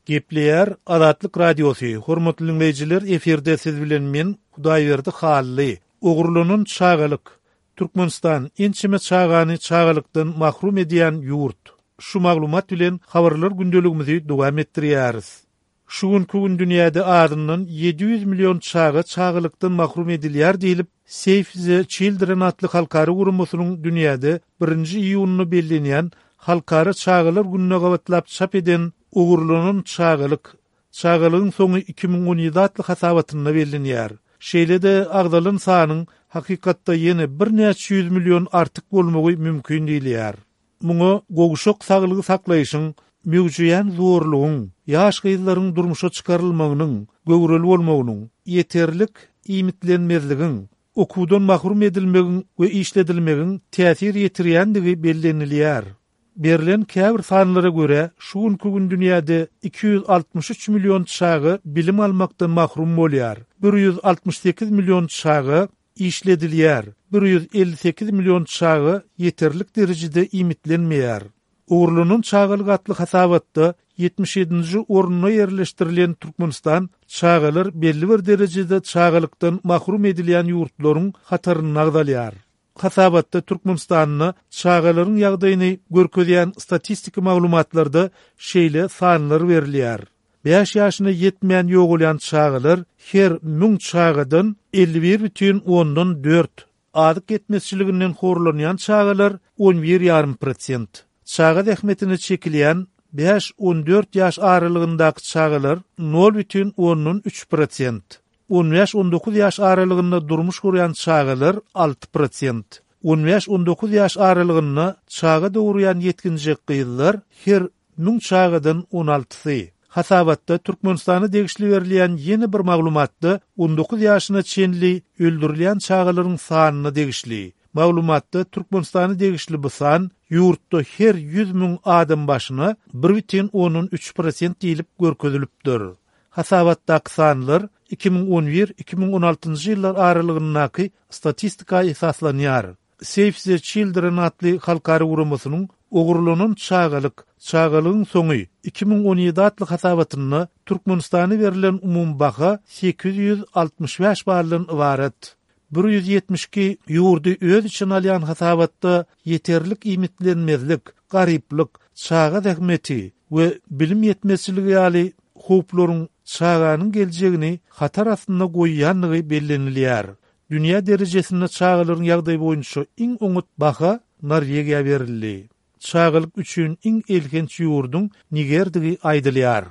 Gepleýär Azatlyk Radiosy, Hormatly diňleýjiler, efirde siz bilen men, Hudaýberdi Hally. Ogurlanan çagalyk. Türkmenistan ençeme çagany çagalykdan mahrum edýän ýurt. Şu maglumat bilen habarlar gündeligimizi dowam etdirýäris. Şu günki gün dünýäde azyndan 700 million çaga çagalykdan mahrum edilýär diýlip, Save the Children atly halkara guramasynyň dünýäde birinji iýunda bellenýän Halkara çagalar gününe gabatlap çap eden Ogurlanan çagalyk, çagalygyň soňy 2017 atly hasabatynda bellenýär. Şeýle-de agzalan sanyň hakykatda ýene birnäçe ýüz million artyk bolmagy mümkin diýilýär. Muňa gowşak saglygy saklaýşyň, möwjeýän zorlugyň, ýaş gyzlaryň durmuşa çykarylmagynyň, göwreli bolmagynyň, ýeterlik iýmitlenmezligiň, okuwdan mahrum edilmegiň we işledilmegiň täsir ýetirýändigi bellenilýär. Berlen käbir sanlara görä, şu günki gün dünýäde 263 million çaga bilim almakdan mahrum bolýar, 168 million çaga işledilýär, 158 million çaga ýeterlik derejede iýmitlenmeýär. Ogurlanan çagalyk atly hasabatda 77-nji orunda ýerleşdirilen Türkmenistan çagalar belli bir derejede çagalykdan mahrum edilýän ýurtlaryň hatarynda agzalýar. Hasabatda Türkmenistanda çagalaryň ýagdaýyny görkezýän statistiki maglumatlarda şeýle sanlar berilýär. Bäş ýaşyna ýetmän ýogalýan çagalar her müň çagadan 51 bütin ondan dört, azyk ýetmezçiliginden horlanýan çagalar on bir ýarym prosent, çaga zähmetine çekilýän bäş-on dört ýaş aralygyndaky çagalar nol bütin ondan üç prosent, On bäş-on dokuz ýaş aralygynda durmuş gurýan çagalar 6%, on bäş-on dokuz ýaş aralygynda çaga dogurýan ýetginjek gyzlar her müň çagadan on altysy. Hasabatda Türkmenistana degişli berilýän ýene bir maglumatda on dokuz ýaşyna çenli öldürilýän çagalaryň sanyna degişli. Maglumatda Türkmenistana degişli bu san ýurtda her 100 müň adam başyna bir bütin ondan üç prosent diýlip görkezilipdir. Hasabatdaky sanlar 2011, 2016-njy ýyllar aralygyndaky statistika esaslanýar. Save the Children atly halkara guramasynyň Ogurlanan çagalyk, çagalygyň soňy 2017 atly hasabatynda Türkmenistana berlen umumy baha 865 baldan ybarat. 172 ýurdy öz içine alýan hasabatda ýeterlik iýmitlenmezlik, garyplyk, çaga zähmeti we bilim ýetmezçiligi ýaly howplaryň çaganyň geljegini hatar astynda goýýandygy bellenilýär. Dünýä derejesinde çagalaryň ýagdaýy boýunça iň oňat baha Norwegiýa berildi. Çagalyk üçin iň elhenç ýurduň Nigerdigi aýdylýar.